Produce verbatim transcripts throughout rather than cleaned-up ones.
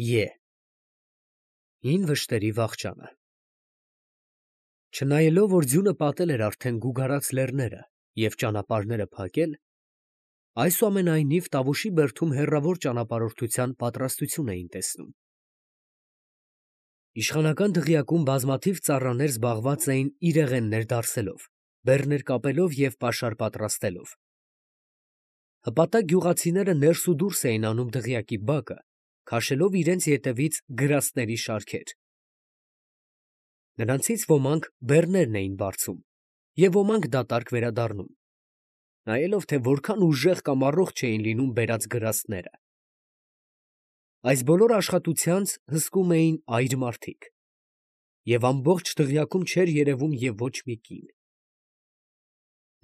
Ե Հին վշտերի վախճանը Չնայելով, որ ձյունը պատել էր արդեն գուգարած լեռները և ճանապարհները փակել, այսուամենայնիվ Տավուշի բերդում հեռավոր ճանապարհորդության պատրաստություն էին տեսնում. իշխանական դղյակում բազմաթիվ ծառաներ զբաղված էին իրեղեններ դարսելով, բեռներ կապելով և պաշար պատրաստելով. հպատակ գյուղացիները ներս ու դուրս էին անում դղյակի բակը, քաշելով իրենց ետևից գրաստների շարքեր. նրանցից ոմանք բեռներն էին բարձում և ոմանք դատարկ վերադառնում, նայելով, թե որքան ուժեղ կամ առողջ էին լինում բերած գրաստները. այս բոլոր աշխատությանց հսկում էին այր մարդիկ, և ամբողջ դղյակում չէր երևում և ոչ մի կին.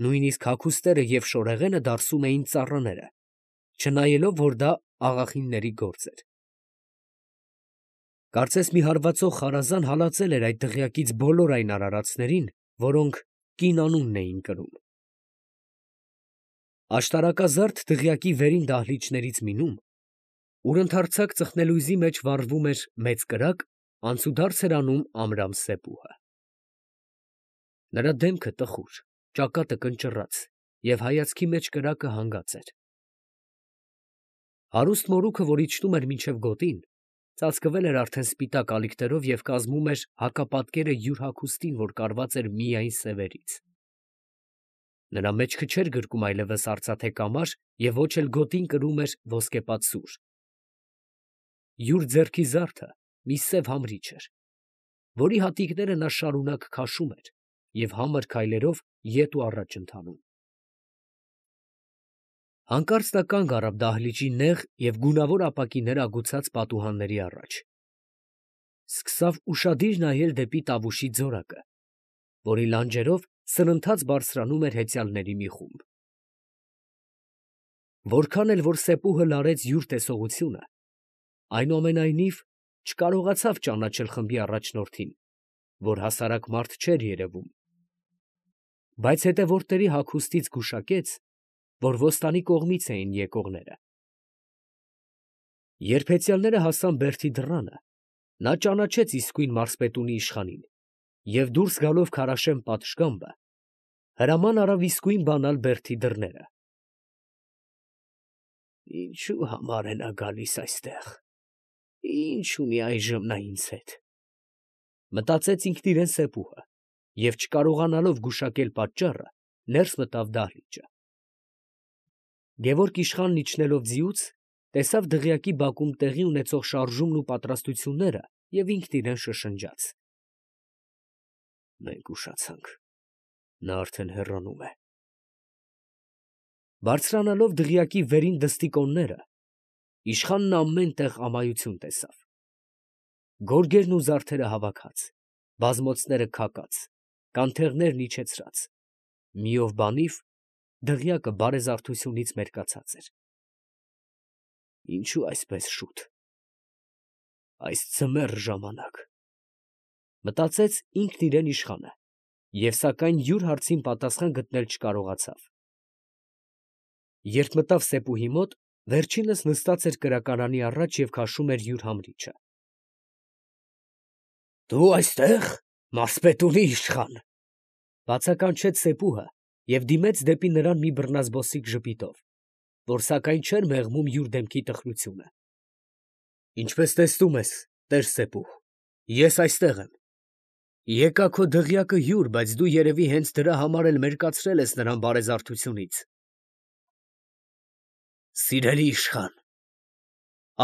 նույնիսկ հագուստերը և շորեղենը դարսում էին ծառաները, չնայելով, որ դա աղախինների գործ էր. կարծես մի հարվածող խարազան հալածել էր այդ դղյակից բոլոր այն արարածներին, որոնք կին անունն էին կրում: Աշտարակազարդ դղյակի վերին դահլիճներից մնում, ուր ընդարձակ ծխնելույզի մեջ վառվում էր մեծ կրակ, անցուդարձ էր անում Ամրամ սեպուհը: նրա դեմքը տխուր, ճակատը կնճռած և հայացքի մեջ կրակը հանգած էր: Հարուստ մորուքը, որ իջնում էր մինչև գոտին, ծածկվել էր արդեն սպիտակ ալիքներով և կազմում էր հակապատկերը յուր հագուստին, որ կարված էր միայն սևերից: նրա մեջքը չէր գրկում այլևս արծաթե կամար և ոչ էլ գոտին կրում էր ոսկեպած սուր: Յուր ձեռքի զարդը մի սև համրիչ էր, որի հատիկները նա շարունակ քաշում էր և համր քայլերով ետ ու առաջ ընթանում: Հանկարծ նա կանգ առավ դահլիճի նեղ և գունավոր ապակիներ ագուցած պատուհանների առաջ: Սկսավ ուշադիր նայել դեպի Տավուշի ձորակը, որի լանջերով սրընթաց բարձրանում էր հեծյալների մի խումբ: Որքան էլ որ սեպուհը լարեց յուր տեսողությունը, այնուամենայնիվ չկարողացավ ճանաչել խմբի առաջնորդին, որ հասարակ մարդ չէր երևում, բայց հետևորդների հագուստից գուշակեց, որ ոստանի կողմից էին եկողները: Երբ հեծյալները հասան բերդի դռանը, նա ճանաչեց իսկույն մարզպետունի իշխանին և դուրս գալով քարաշեն պատշգամբը, հրաման արավ իսկույն բանալ բերդի դռները: Ինչո՞ւ համար է նա գալիս այստեղ, ի՞նչ ունի այժմ նա ինձ հետ, մտածեց ինքն իրեն սեպուհը և չկարողանալով գուշակել պատճառը, ներս մտավ դահլիճը: Գևորգ իշխանն իջնելով ձիուց, տեսավ դղյակի բակում տեղի ունեցող շարժումն ու պատրաստությունները և ինքն իրան շշնջաց. «Մենք ուշացանք, նա արդեն հեռանում է»: Բարձրանալով դղյակի վերին դստիկոնները, իշխանն ամեն տեղ ամայություն տեսավ: Գորգերն ու զարդերը հավաքած, բազմոցները քակած, կանթեղներն իջեցրած, մի ով բանիվ դղյակը բարեզարդությունից մերկացած էր: Ինչո՞ւ այսպես շուտ, այս ձմեռ ժամանակ, մտածեց ինքն իրեն իշխանը և սակայն յուր հարցին պատասխան գտնել չկարողացավ: Երբ մտավ սեպուհի մոտ, վերջինս նստած էր կրակարանի առաջ և քաշում էր յուր համրիչը: Դու այստե՞ղ, մարզպետունի իշխան, ֊ բացականչեց սեպուհը և դիմեց դեպի նրան մի բռնազբոսիկ ժպիտով, որ սակայն չէր մեղմում յուր դեմքի տխրությունը: ֊ Ինչպես տեսնում ես, տեր֊սեպուհ, ես այստեղ եմ: Եկա քո դղյակը հյուր, բայց դու երևի հենց դրա համար էլ մերկացրել ես նրան բարեզարդությունից: Սիրելի իշխան,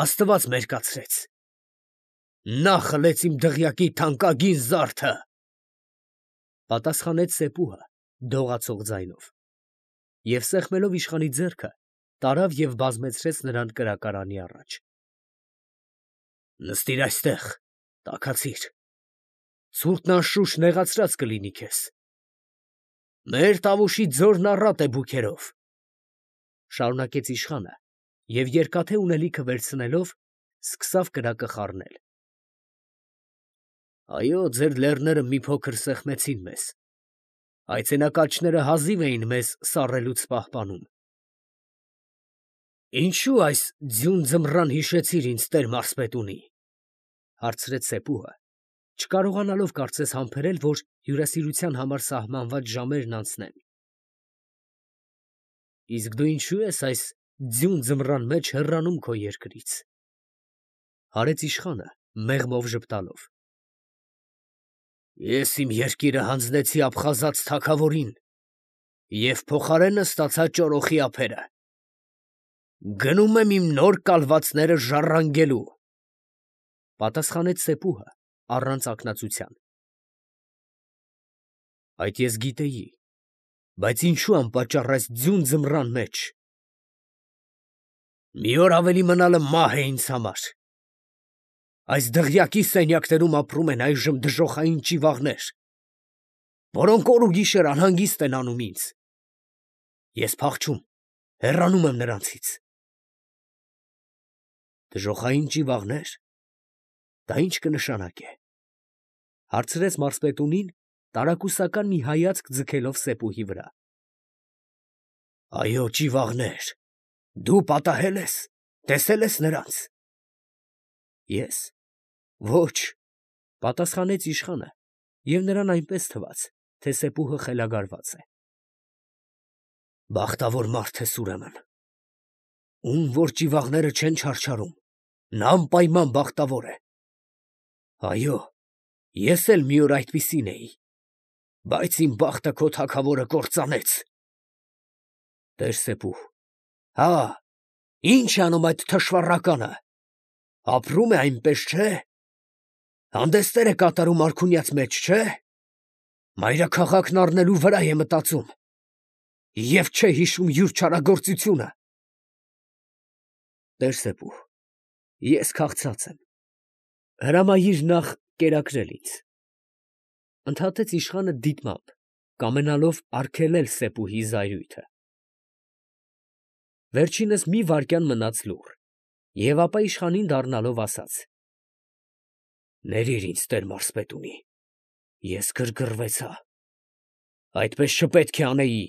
աստված մերկացրեց, նա խլեց իմ դղյակի թանկագին զարդը, ֊ պատասխանեց սեպուհը դողացող ձայնով և սեղմելով իշխանի ձեռքը, տարավ և բազմեցրեց նրան կրակարանի առաջ: Նստիր այստեղ, տաքացիր, ցուրտն անշուշտ նեղացրած կլինի քեզ: Մեր Տավուշի ձորն առատ է բուքերով, ֊ շարունակեց իշխանը և երկաթե ունելիքը վերցնելով, սկսավ կրակը խառնել: Այո, ձեր լեռները մի փոքր սեղմեցին մեզ, այցենակալչները հազիվ էին մեզ սառելուց պահպանում: Ինչու այս ձյուն ձմռան հիշեցիր ինձ տեր մարսպետունի, հարցրեց Սեպուհը, չկարողանալով կարծես համբերել, որ հյուրասիրության համար սահմանված ժամերն անցնեն։ Իսկ դու ինչու ես այս ձյուն ձմռան մեջ հեռանում քո երկրից, հարեց իշխանը, մեղմով ժպտալով։ Ես իմ երկիրը հանձնեցի աբխազած թագավորին և փոխարենը ստացա ճորոխի ափերը։ Գնում եմ իմ նոր կալվածները ժառանգելու, պատասխանեց Սեպուհը առանց ակնածության։ Այդ ես գիտեի, բայց ինչու անպատճառ այս ձյուն ձմռան մեջ։ Մի օր ավելի մնալը մահ է ինձ համար։ Այս դղյակի սենյակներում ապրում են այժմ դժոխային ճիվաղներ, որոնք օր ու գիշեր անհանգիստ են անում ինձ։ Ես փախչում, հեռանում եմ նրանցից։ Դժոխային ճիվաղնե՞ր, դա ի՞նչ կնշանակե, հարցրեց մարզպետունին, տարակուսական մի հայացք ձգելով Սեպուհի վրա։ Այո, ճիվաղներ, դու պատահել ես, տեսել ես նրանց։ Ես, ոչ, պատասխանեց իշխանը, և նրան այնպես թվաց, թե Սեպուհը խելագարված է։ Բախտավոր մարդ ես ուրեմն, ում որ ճիվաղները չեն չարչարում, նա անպայման բախտավոր է։ Այո, ես էլ մի օր այդպիսին էի, բայց իմ բախտը քո թագավորը կործանեց։ Տեր Սեպուհ, հա, ի՞նչ է անում այդ թշվառականը, ապրում է այնպես, չէ՞, հանդեստեր է կատարում արքունյաց մեջ, չէ՞, մայրաքաղաքն առնելու վրա է մտածում և չէ հիշում յուր չարագործությունը։ Տեր Սեպուհ, ես քաղցած եմ, հրամայիր նախ կերակրել ինձ, ընդհատեց իշխանը դիտմամբ, կամենալով արգելել Սեպուհի զայրույթը։ Վերջինս մի վայրկյան մնաց լուռ, և ապա իշխանին դառնալով ասաց. Ներիր ինձ տեր մարզպետունի, ես գրգռվեցա, այդպես չպետք է անեի։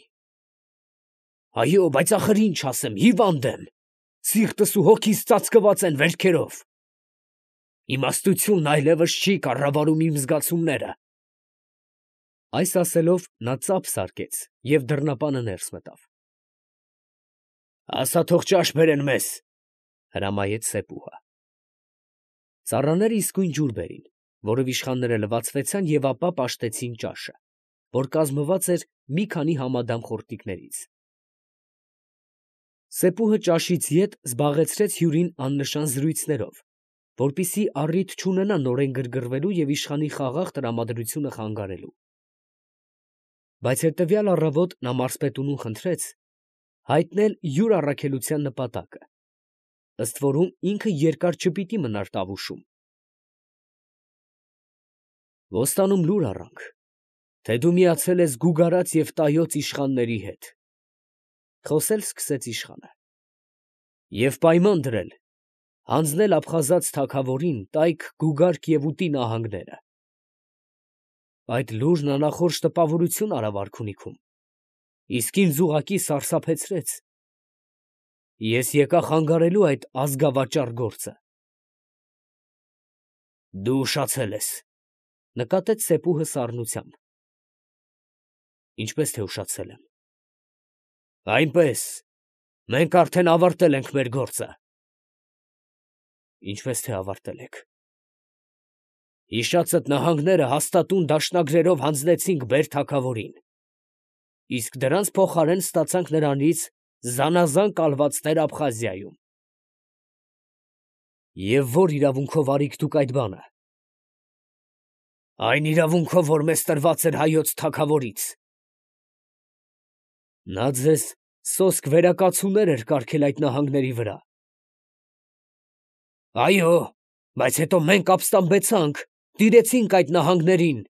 Այո, բայց ախր ինչ ասեմ, հիվանդ եմ, սիրտս ու հոգիս ծածկված են վերքերով։ Իմաստությունն այլևս չի կառավարում իմ զգացումները։ Այս ասելով նա ծափ սարկեց և դռնապանը ներս մտավ։ Ասա թող ճաշ բերեն մեզ, հրամայեց Սեպուհը։ Ծառաները իսկույն ջուր բերին, որով իշխանները լվացվեցան և ապա պաշտեցին ճաշը, որ կազմված էր մի քանի համադամ խորտիկներից։ Սեպուհը ճաշից ետ զբաղեցրեց հյուրին աննշան զրույցներով, որպեսզի առիթ չունենա նորեն գրգռվելու և իշխանի խաղաղ տրամադրությունը խանգարելու։ Բայց հետևյալ առավոտ նա մարզպետունուն խնդրեց հայտնել յուր առաքելության նպատակը, ըստ որում ինքը երկար չպիտի մնար Տավուշում։ Ոստանում լուր առանք, թե դու միացել ես գուգարած և տայոց իշխանների հետ, խոսել սկսեց իշխանը, և պայման դրել հանձնել աբխազած թագավորին տայք, գուգարք և ուտի նահանգները։ Այդ լուրն անախորժ տպավորություն արավ արքունիքում, իսկ ինձ ուղղակի սարսափեցրեց։ Ես եկա խանգարելու այդ ազգավաճառ գործը։ Դու ուշացել ես, նկատեց Սեպուհը սառնությամբ։ Ինչպես թե ուշացել եմ։ Այնպես, մենք արդեն ավարտել ենք մեր գործը։ Ինչպես թե ավարտել եք։ Հիշածդ նահանգները հաստատուն դաշնագրերով հանձնեցինք բեր թագավորին, իսկ դրանց փոխարեն ստացանք նրանից զանազան կալվածներ Աբխազիայում։ Եվ ո՞ր իրավունքով արիք դուք այդ բանը։ Այն իրավունքով, որ մեզ տրված էր հայոց թագավորից։ Նա ձեզ սոսկ վերակացուներ էր կարգել այդ նահանգների վրա։ Այո, բայց հետո մենք ապստամբեցանք, տիրեցինք այդ նահանգներին,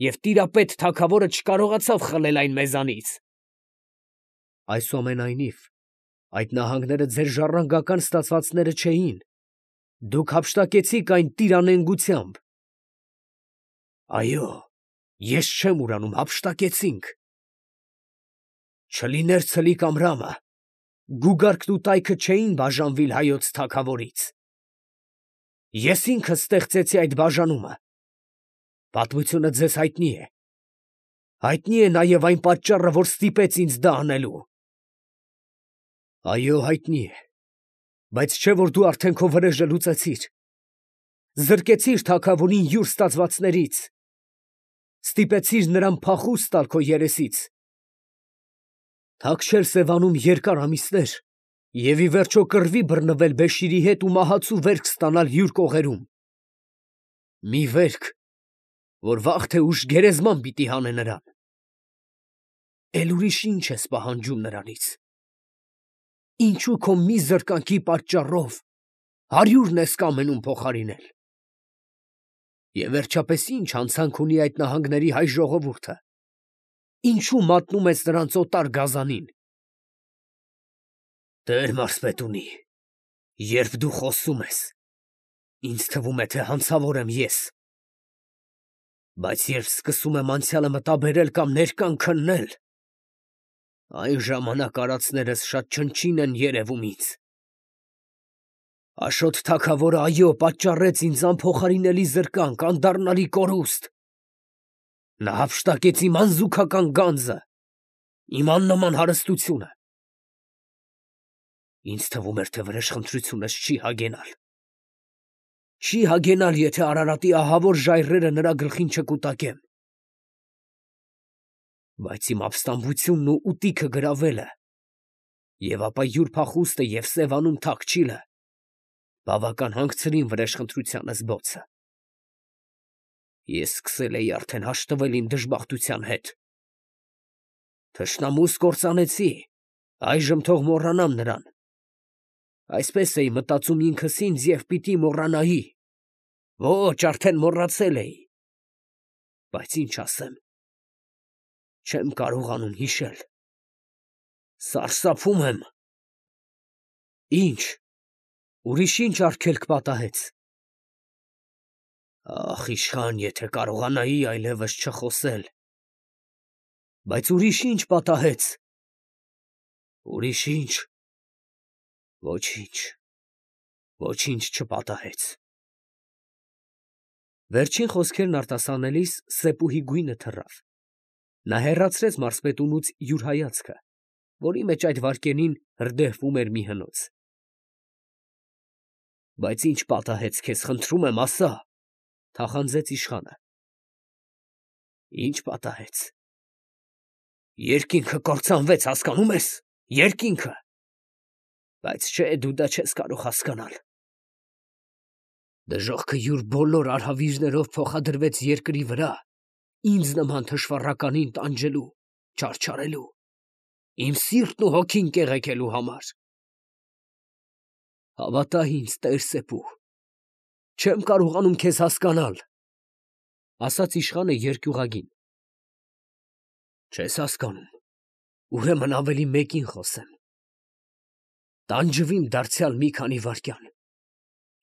և տիրապետ թագավորը չկարողացավ խլել այն մեզանից։ Այսուամենայնիվ, այդ նահանգները ձեր ժառանգական ստացվածները չէին, դուք հափշտակեցիք այն տիրանենգությամբ։ Այո, ես չեմ ուրանում, հափշտակեցինք։ Չլիներ ցլիկ Ամրամը, գուգարկն ու տայքը չէին բաժանվիլ հայոց թագավորից։ Ես ինքս ստեղծեցի այդ բաժանումը։ Պատմությունը ձեզ հայտնի է։ Հայտնի է նաև այն պատճառը, որ ստիպեց ինձ դա անելու։ Այո, հայտնի է, բայց չէ՞ որ դու արդեն քո վրեժը լուծեցիր։ Զրկեցիր թագավորին յուր ստացվածներից, ստիպեցիր նրան փախուստ տալ քո երեսից, թաքչել Սևանում երկար ամիսներ և ի վերջո կռվի բռնվել Բեշիրի հետ ու մահացու վերք ստանալ յուր կողերում, մի վերք, որ վաղ թե ուշ գերեզման պիտի հանե նրան։ Էլ ուրիշ ի՞նչ ես պահանջում նրանից։ Ինչու քո մի զրկանքի պատճառով հարյուրն ես կամենում փոխարինել։ Եվ վերջապես ի՞նչ հանցանք ունի այդ նահանգների հայ ժողովուրդը։ Ինչու մատնում ես նրանց օտար գազանին։ Տեր մարզպետունի, երբ դու խոսում ես, ինձ թվում է, թե հանցավոր եմ ես, բայց երբ սկսում եմ անցյալը մտաբերել կամ ներկան քննել, այն ժամանակ արածներս շատ չնչին են երևում ինձ։ Աշոտ թագավորը, այո, պատճառեց ինձ անփոխարինելի զրկանք, անդառնալի կորուստ։ Նա հափշտակեց իմ անզուգական գանձը, իմ աննման հարստությունը։ Ինձ թվում էր, թե վրեժխնդրությունս չի հագենալ։ Չի հագենալ, եթե Արարատի ահավոր ժայռերը նրա գլխին չկուտակեմ։ Բայց իմ ապստամբությունն ու ուտիքը գրավելը, և ապա յուր փախուստը և Սևանում թաքչիլը բավական հանգցրին վրեժխնդրությանս բոցը։ Ես սկսել էի արդեն հաշտվել իմ դժբախտության հետ։ Թշնամուս կործանեցի, այժմ թող մոռանամ նրան։ Այսպես էի մտածում ինքս ինձ և պիտի մոռանայի։ Ոչ, արդեն մոռացել էի։ Բայց ինչ ասեմ, չեմ կարողանում հիշել։ Սարսափում եմ։ Ինչ, ուրիշ ինչ արգելք պատահեց։ Ախ, իշխան, եթե կարողանայի այլևս չխոսել։ Բայց ուրիշ ինչ պատահեց։ Ուրիշ ինչ։ Ոչինչ, ոչինչ չպատահեց։ Վերջին խոսքերն արտասանելիս Սեպուհի գույնը թռավ։ Նա հեռացրեց մարզպետունուց յուր հայացքը, որի մեջ այդ վայրկյանին հրդեհվում էր մի հնոց։ Բայց ինչ պատահեց քեզ, խնդրում եմ, ասա, թախանձեց իշխանը։ Ինչ պատահեց։ Երկինքը կործանվեց, հասկանում ես, երկինքը։ Բայց չէ, դու դա չես կարող հասկանալ։ Դժոխքը յուր բոլոր արհավիրներով փոխադրվեց երկրի վրա, ինձ նման թշվառականին տանջելու, չարչարելու, իմ սիրտն ու հոգին կեղեքելու համար։ Հավատա ինձ, Տեր Սեպուհ, չեմ կարողանում քեզ հասկանալ, ասաց իշխանը երկյուղագին։ Չես հասկանում, ուրեմն ավելի մեկին խոսեմ։ Տանջվիմ դարձյալ մի քանի վայրկյան,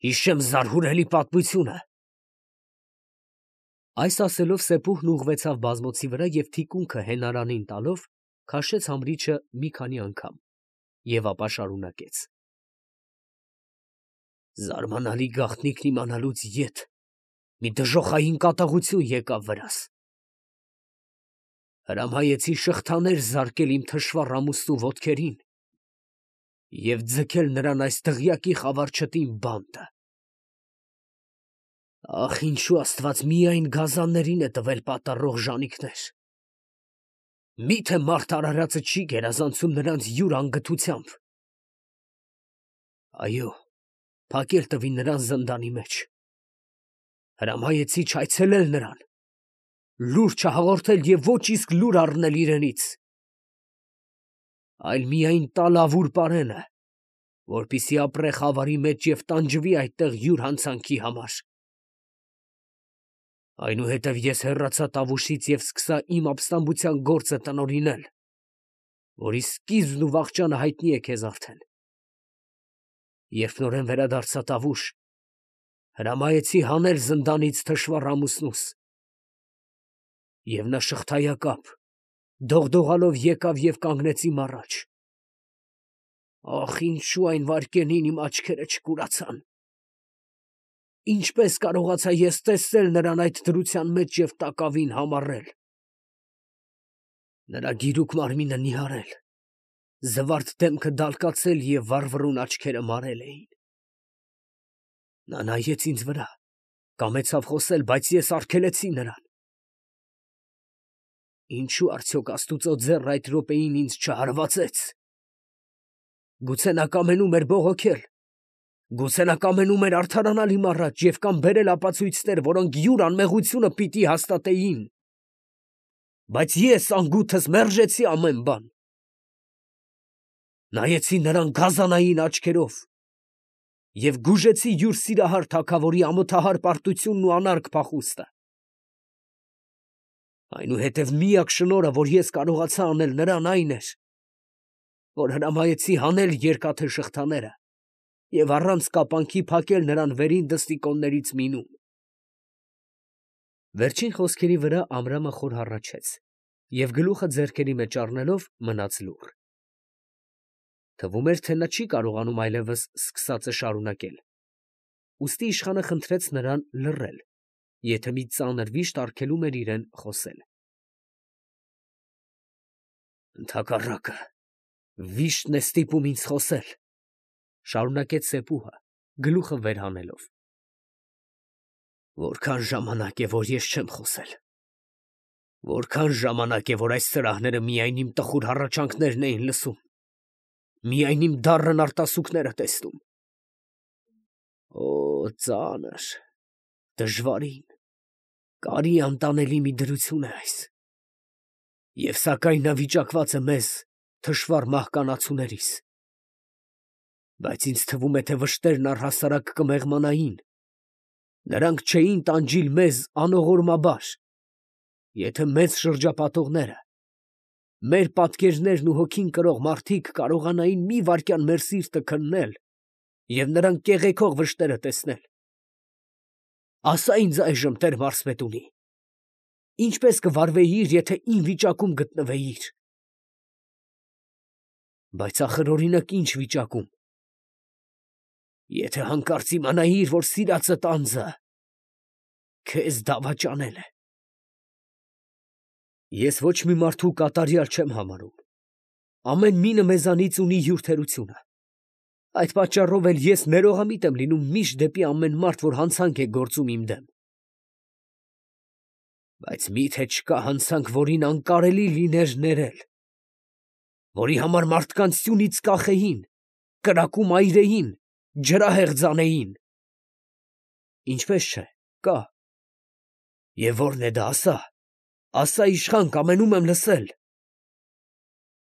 հիշեմ զարհուրելի պատմությունը։ Այս ասելով Սեպուհն ուղղվեցավ բազմոցի վրա և թիկունքը հենարանին տալով քաշեց համրիչը մի քանի անգամ և ապա շարունակեց. Զարմանալի գաղտնիքն իմանալուց ետ մի դժոխային կատաղություն եկավ վրաս։ Հրամայեցի շղթաներ զարկել իմ թշվառ ամուսնու ոտքերին և ձգել նրան այս դղյակի խավար չտին բանտը։ Ախ, ինչու Աստված միայն գազաններին է տվել պատառող ժանիքներ։ Մի՞թե մարդ արարածը չի գերազանցում նրանց յուր անգթությամբ։ Այո, փակել տվի նրան զնդանի մեջ։ Հրամայեցի չայցելել նրան, լուր չհաղորդել և ոչ իսկ լուր առնել իրենից, այլ միայն տալ ավուր պարենը, որպեսզի ապրե խավարի մեջ և տանջվի այդտեղ յուր հանցանքի համար։ Այնուհետև ես հեռացա Տավուշից և սկսա իմ ապստամբության գործը տնօրինել, որի սկիզբն ու վախճանը հայտնի է քեզ արդեն։ Երբ նորեն վերադարձա Տավուշ, հրամայեցի հանել զնդանից թշվառ ամուսնուս, և նա շղթայակապ, դողդողալով եկավ և կանգնեց իմ առաջ։ Ախ, ինչու այն վայրկյանին իմ աչքերը չկուրացան։ Ինչպես կարողացա ես տեսնել նրան այդ դրության մեջ և տակավին համառել։ Նրա գիրուկ մարմինը նիհարել, զվարթ դեմքը դալկացել և վառվռուն աչքերը մարել էին։ Նա նայեց ինձ վրա, կամեցավ խոսել, բայց ես արգելեցի նրան։ Ինչու արդյոք Աստուծո ձեռը այդ րոպեին ինձ չհարվածեց։ Գուցե նա կամենում էր բողոքել, գուցե նա կամենում էր արդարանալ իմ առաջ և կամ բերել ապացույցներ, որոնք յուր անմեղությունը պիտի հաստատեին։ Բայց ես անգութս մերժեցի ամեն բան։ Նայեցի նրան գազանային աչքերով և գուժեցի յուր սիրահար թագավորի ամոթահար պարտությունն ու անարգ փախուստը։ Այնուհետև միակ շնորհը, որ ես կարողացա անել նրան, այն էր, որ հրամայեցի հանել երկաթե շղթաները և առանց կապանքի փակել նրան վերին դստիկոններից միմում։ Վերջին խոսքերի վրա Ամրամը խոր հառաչեց և գլուխը ձեռքերի մեջ առնելով մնաց լուռ։ Թվում էր, թե նա չի կարողանում այլևս սկսածը շարունակել, ուստի իշխանը խնդրեց նրան լռել, եթե մի ծանր վիշտ արգելում էր իրեն խոսել։ Ընդհակառակը, վիշտն է ստիպում ինձ խոսել, ֊ շարունակեց Սեպուհը, գլուխը վեր հանելով։ Որքան ժամանակ է, որ ես չեմ խոսել, որքան ժամանակ է, որ այս սրահները միայն իմ տխուր հառաչանքներն էին լսում, միայն իմ դառն արտասուքները տեսնում։ Օ, ծանր, դժվարին, կարի անտանելի մի դրություն է այս։ Եվ սակայն նա վիճակված է մեզ, թշվառ մահկանացուներիս։ Բայց ինձ թվում է, թե վշտերն առհասարակ կմեղմանային, նրանք չէին տանջիլ մեզ անողորմաբար, եթե մեծ շրջապատողները, մեր պատկերներն ու հոգին կրող մարդիկ կարողանային մի վայրկյան մեր սիրտը քննել և նրան կեղեքող վշտերը տեսնել։ Ասա ինձ այժմ, տեր մարզպետունի, ինչպես կվարվեիր, եթե իմ վիճակում գտնվեիր։ Բայց ախր օրինակ ինչ վիճակում։ Եթե հանկարծ իմանայիր, որ սիրածդ անձը քեզ դավաճանել է։ Ես ոչ մի մարդու կատարյալ չեմ համարում։ Ամեն մինը մեզանից ունի յուր թերությունը։ Այդ պատճառով էլ ես ներողամիտ եմ լինում միշտ դեպի ամեն մարդ, որ հանցանք է գործում իմ դեմ։ Բայց մի՞թե չկա հանցանք, որին անկարելի լիներ ներել, որի համար մարդկանց սյունից կախեին, կրակում այրեին, ջրահեղձ անեին։ Ինչպես չէ, կա։ Եվ ո՞րն է դա, ասա, ասա, իշխան, կամենում եմ լսել։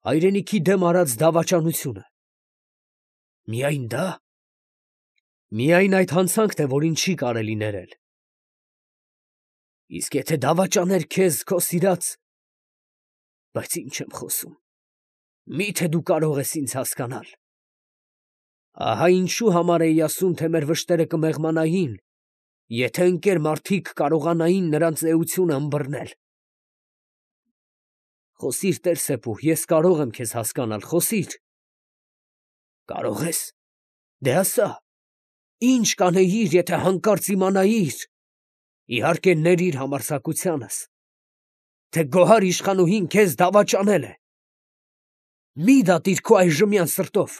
Հայրենիքի դեմ արած դավաճանությունը։ Միայն դա։ Միայն այդ հանցանքն է, որին չի կարելի ներել։ Իսկ եթե դավաճաներ քեզ քո սիրած… Բայց ինչ եմ խոսում, մի՞թե դու կարող ես ինձ հասկանալ։ Ահա ինչու համար էի ասում, թե մեր վշտերը կմեղմանային, եթե ընկեր մարդիկ կարողանային նրանց էությունը ըմբռնել։ Խոսիր, տեր Սեպուհ, ես կարող եմ քեզ հասկանալ, խոսիր։ Կարող ես, դե ասա, ի՞նչ կանեիր, եթե հանկարծ իմանայիր, իհարկե ներիր համարձակությանս, թե գոհար իշխանուհին քեզ դավաճանել է։ Մի դատիր քո այժմյան սրտով,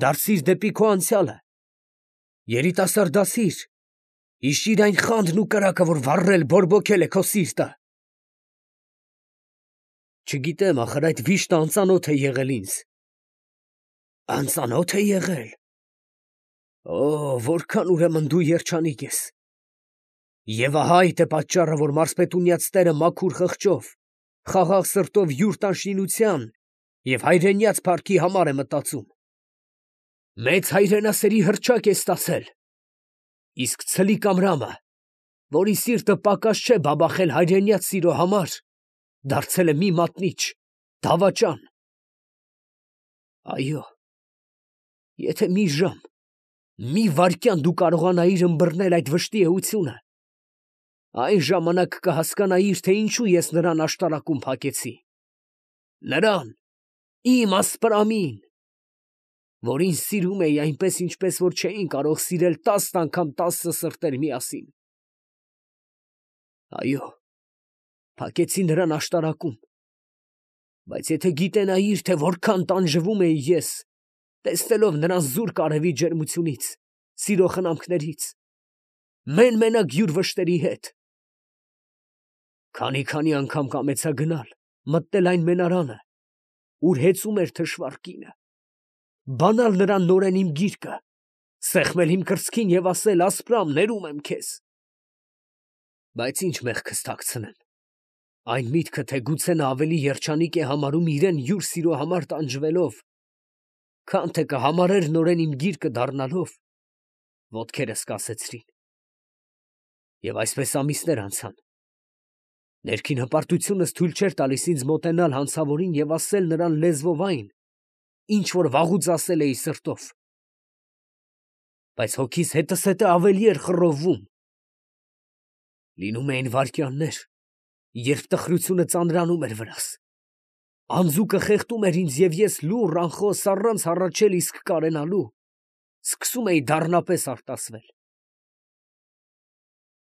դարձիր դեպի քո անցյալը, երիտասարդացիր, հիշիր այն խանդն ու կրակը, որ վառել, բորբոքել է քո սիրտը։ Չգիտեմ, ախր այդ վիշտը անծանոթ է եղել ինձ։ Անծանո՞թ է եղել։ Օ, որքան ուրեմն դու երջանիկ ես։ Եվ ահա այդ է պատճառը, որ մարզպետունյաց տերը մաքուր խղճով, խաղաղ սրտով յուր տանշինության և հայրենյաց փառքի համար է մտածում։ Մեծ հայրենասերի հռչակ է ստացել, իսկ ցլիկ Ամրամը, որի սիրտը պակաս չէ բաբախել հայրենյաց սիրո համար, դարձել է մի մատնիչ, դավաճան։ Այո, եթե մի ժամ, մի վայրկյան դու կարողանայիր ըմբռնել այդ վշտի էությունը, այն ժամանակ կհասկանայիր, թե ինչու ես նրան աշտարակում փակեցի։ Նրան, իմ ասպրամին, որ ինձ սիրում էի այնպես, ինչպես որ չէին կարող սիրել տասն անգամ տասը սրտեր միասին։ Այո, փակեցի նրան աշտարակում, բայց եթե գիտենայիր, թե որքան տանջվում էի ես, տեսնելով նրան զուրկ արևի ջերմությունից, սիրո խնամքներից, մեն֊մենակ յուր վշտերի հետ, քանի-քանի անգամ կամեցա գնալ, մտնել այն մենարանը, ուր հեծում էր թշվառ կինը, բանալ նրան նորեն իմ գիրկը, սեղմել իմ կրծքին և ասել. «Ասպրամ, ներում եմ քեզ»։ Բայց ինչ մեղքս թաքցնեմ, այն միտքը, թե գուցե նա ավելի երջանիկ է համարում իրեն յուր սիրո համար տանջվելով, քան թե կհամարեր նորեն իմ գիրկը դառնալով, ոտքերս կասեցրին։ Եվ այսպես ամիսներ անցան։ Ներքին հպարտությունս թույլ չէր տալիս ինձ մոտենալ հանցավորին և ասել նրան լեզվով այն, ինչ որ վաղուց ասել էի սրտով, բայց հոգիս հետզհետե ավելի էր խռովվում։ Լինում էին վայրկյաններ, երբ տխրությունը ծանրանում էր վրաս, անձուկը խեղդում էր ինձ, և ես լուռ, անխոս, առանց հառաչել իսկ կարենալու, սկսում էի դառնապես արտասվել։